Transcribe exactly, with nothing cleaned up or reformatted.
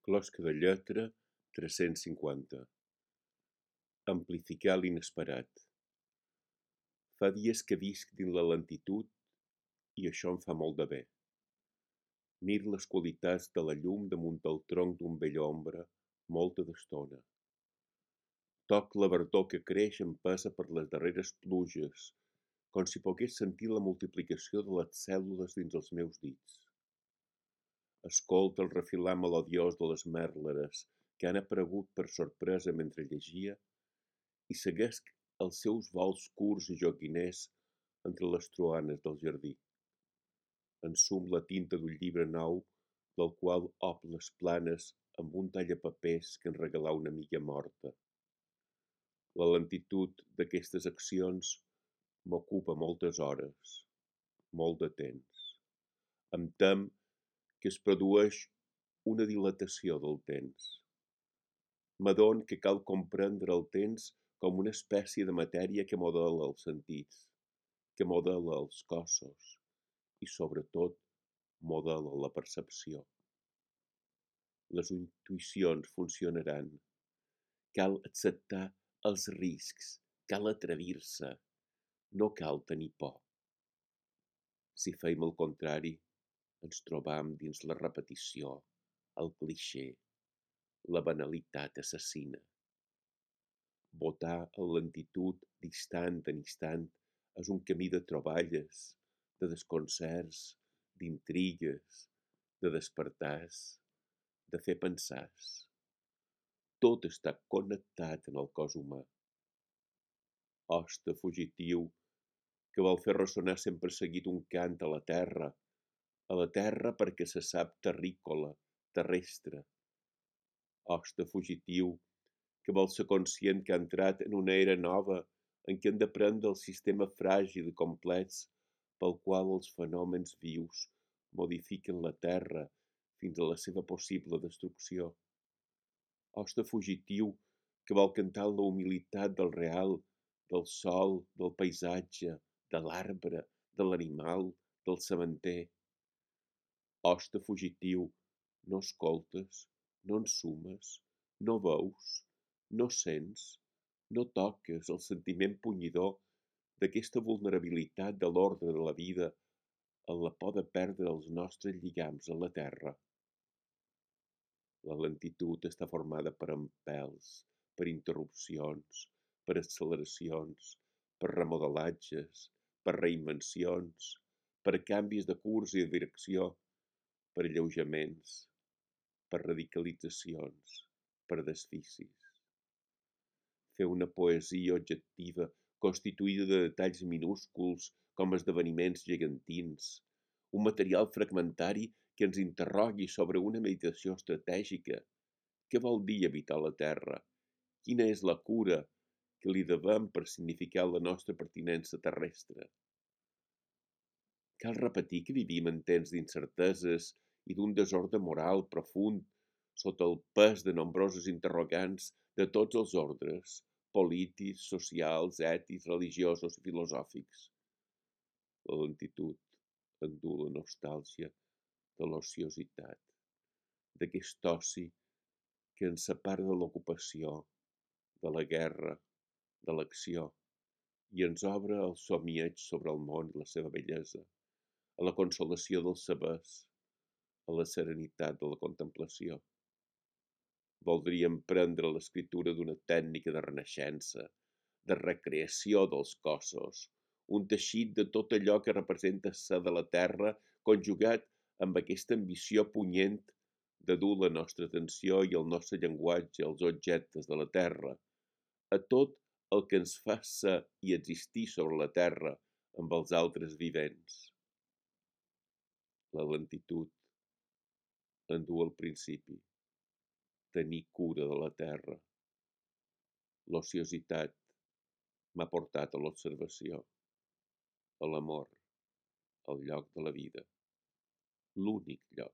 Closca de lletra tres-cents cinquanta. Amplificar l'inesperat. Fa dies que visc dins la lentitud i això em fa molt de bé. Mir les qualitats de la llum damunt el tronc d'un vell ombra molta d'estona. Toc la verdor que creix empesa per les darreres pluges, com si pogués sentir la multiplicació de les cèl·lules dins els meus dits. Escolta el refilar melodiós de les mèrleres que han aparegut per sorpresa mentre llegia i seguesc els seus vols curts i joguiners entre les troanes del jardí. Ensum la tinta d'un llibre nou del qual op les planes amb un tallapapers que en regalà una amiga morta. La lentitud d'aquestes accions m'ocupa moltes hores, molt de temps. Em tem que es produeix una dilatació del temps. M'adon que cal comprendre el temps com una espècie de matèria que modela els sentits, que modela els cossos i, sobretot, modela la percepció. Les intuïcions funcionaran. Cal acceptar els riscs, cal atrevir-se, no cal tenir por. Si feim el contrari, ens trobam dins la repetició, el clixé, la banalitat assassina. Votar en lentitud d'instant en instant és un camí de troballes, de desconcerts, d'intrigues, de despertars, de fer pensars. Tot està connectat en el cos humà. Hoste fugitiu que vol fer ressonar sempre seguit un cant a la terra, a la terra perquè se sap terrícola, terrestre. Hoste fugitiu que vol ser conscient que ha entrat en una era nova en què hem d'aprendre el sistema fràgil i complex pel qual els fenòmens vius modifiquen la terra fins a la seva possible destrucció. Hoste fugitiu que vol cantar la humilitat del real, del sol, del paisatge, de l'arbre, de l'animal, del sementer. Hoste fugitiu, no escoltes, no ensumes, no veus, no sents, no toques el sentiment punyidor d'aquesta vulnerabilitat de l'ordre de la vida en la por de perdre els nostres lligams a la terra. La lentitud està formada per empels, per interrupcions, per acceleracions, per remodelatges, per reinvencions, per canvis de curs i de direcció, per alleujaments, per radicalitzacions, per desficis. Fer una poesia objectiva constituïda de detalls minúsculs com esdeveniments gegantins, un material fragmentari que ens interrogui sobre una meditació estratègica. Què vol dir habitar la Terra? Quina és la cura que li devem per significar la nostra pertinença terrestre? Cal repetir que vivim en temps d'incerteses i d'un desordre moral profund sota el pes de nombrosos interrogants de tots els ordres, polítics, socials, ètics, religiosos i filosòfics. La lentitud endú la nostàlgia de l'ociositat, d'aquest oci que ens separa de l'ocupació, de la guerra, de l'acció, i ens obre el somieig sobre el món i la seva bellesa, a la consolació dels sabers, a la serenitat de la contemplació. Voldríem prendre l'escriptura d'una tècnica de renaixença, de recreació dels cossos, un teixit de tot allò que representa ser de la terra conjugat amb aquesta ambició punyent de dur la nostra atenció i el nostre llenguatge als objectes de la terra, a tot el que ens fa ser i existir sobre la terra amb els altres vivents. La lentitud endú al principi, tenir cura de la terra. L'ociositat m'ha portat a l'observació, a l'amor, al lloc de la vida, l'únic lloc.